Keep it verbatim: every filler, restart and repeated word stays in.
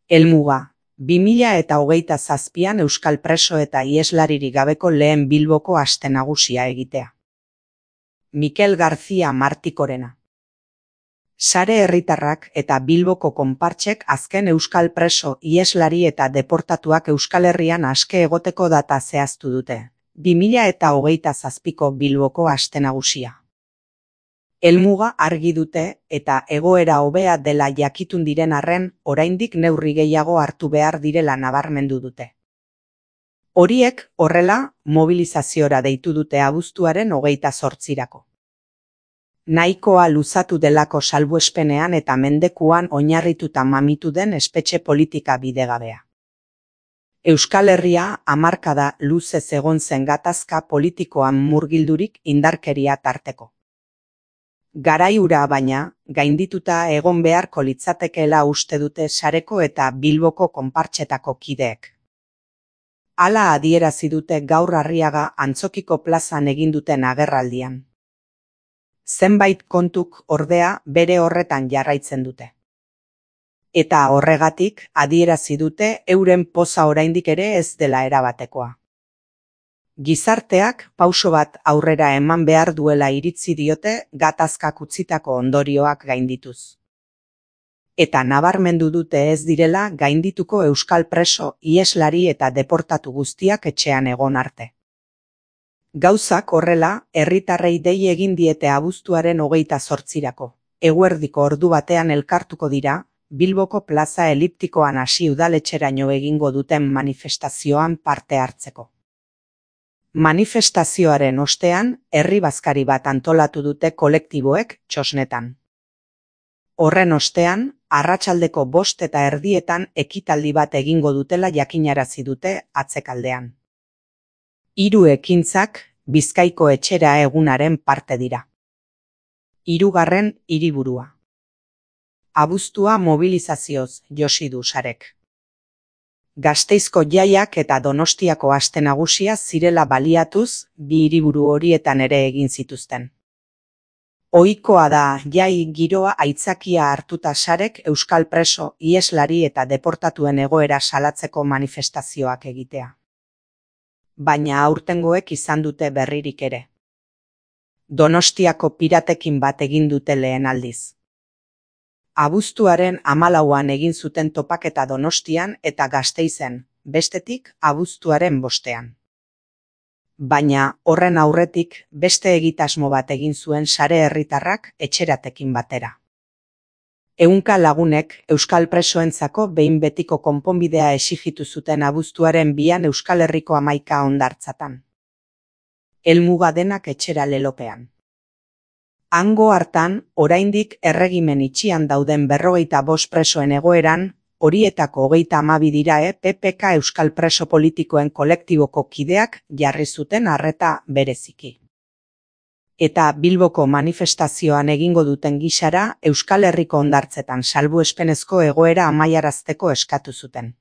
Helmuga, bi mila eta hogeita zazpian euskal preso eta iheslaririk gabeko lehen Bilboko aste nagusia egitea. Mikel García Martikorena. Sare herritarrak eta Bilboko konpartsek azken euskal preso, iheslari eta deportatuak Euskal Herrian aske egoteko data zehaztu dute. bi mila eta hogeita zazpiko Bilboko aste nagusia. Helmuga argi dute eta egoera hobea dela jakitun diren arren, oraindik neurri gehiago hartu behar direla nabarmendu dute. Horiek, horrela, mobilizaziora deitu dute abuztuaren hogeita zortzirako. Nahikoa luzatu delako salbuespenean eta mendekuan oinarrituta mamitu den espetxe politika bidegabea. Euskal Herria hamarkada luzez egon zen gatazka politikoan murgildurik indarkeria tarteko. Garai hura baina, gaindituta egon beharko litzatekeela uste dute sareko eta Bilboko konpartsetako kideek. Hala adierazi dute gaur Arriaga Antzokiko plazan egin duten agerraldian. Zenbait kontuk ordea bere horretan jarraitzen dute. Eta horregatik adierazi dute euren poza oraindik ere ez dela erabatekoa. Gizarteak pauso bat aurrera eman behar duela iritzi diote gatazkak utzitako ondorioak gaindituz. Eta nabarmendu dute ez direla gaindituko euskal preso, iheslari eta deportatu guztiak etxean egon arte. Gauzak horrela, herritarrei dei egin diete abuztuaren hogeita zortzirako. Eguerdiko ordu batean elkartuko dira, Bilboko plaza eliptikoan hasi udaletxeraino egingo duten manifestazioan parte hartzeko. Manifestazioaren ostean, herri bazkari bat antolatu dute kolektiboek txosnetan. Horren ostean, arratsaldeko bost eta erdietan ekitaldi bat egingo dutela jakinarazi dute atzekaldean. Hiru ekintzak Bizkaiko etxera egunaren parte dira. Hirugarren hiriburua. Abuztua mobilizazioz josi du sarek. Gasteizko jaiak eta Donostiako aste nagusia zirela baliatuz, bi hiriburu horietan ere egin zituzten. Ohikoa da jai giroa aitzakia hartuta sarek euskal preso, iheslari eta deportatuen egoera salatzeko manifestazioak egitea. Baina aurtengoek izan dute berririk ere. Donostiako piratekin bat egin dute lehen aldiz. Abuztuaren hamalauan egin zuten topaketa Donostian eta Gasteizen, bestetik abuztuaren bostean. Baina horren aurretik beste egitasmo bat egin zuen sare herritarrak etxeratekin batera. Ehunka lagunek euskal presoentzako behin betiko konponbidea exigitu zuten abuztuaren bian Euskal Herriko hamaika hondartzatan. Helmuga denak etxera lelopean. Hango hartan, oraindik erregimen itxian dauden berrogeita bost presoen egoeran, horietako hogeita hamabi dira E P P K euskal preso politikoen kolektiboko kideak jarri zuten arreta bereziki. Eta Bilboko manifestazioan egingo duten gisara Euskal Herriko hondartzetan salbuespenezko egoera amaiarazteko eskatu zuten.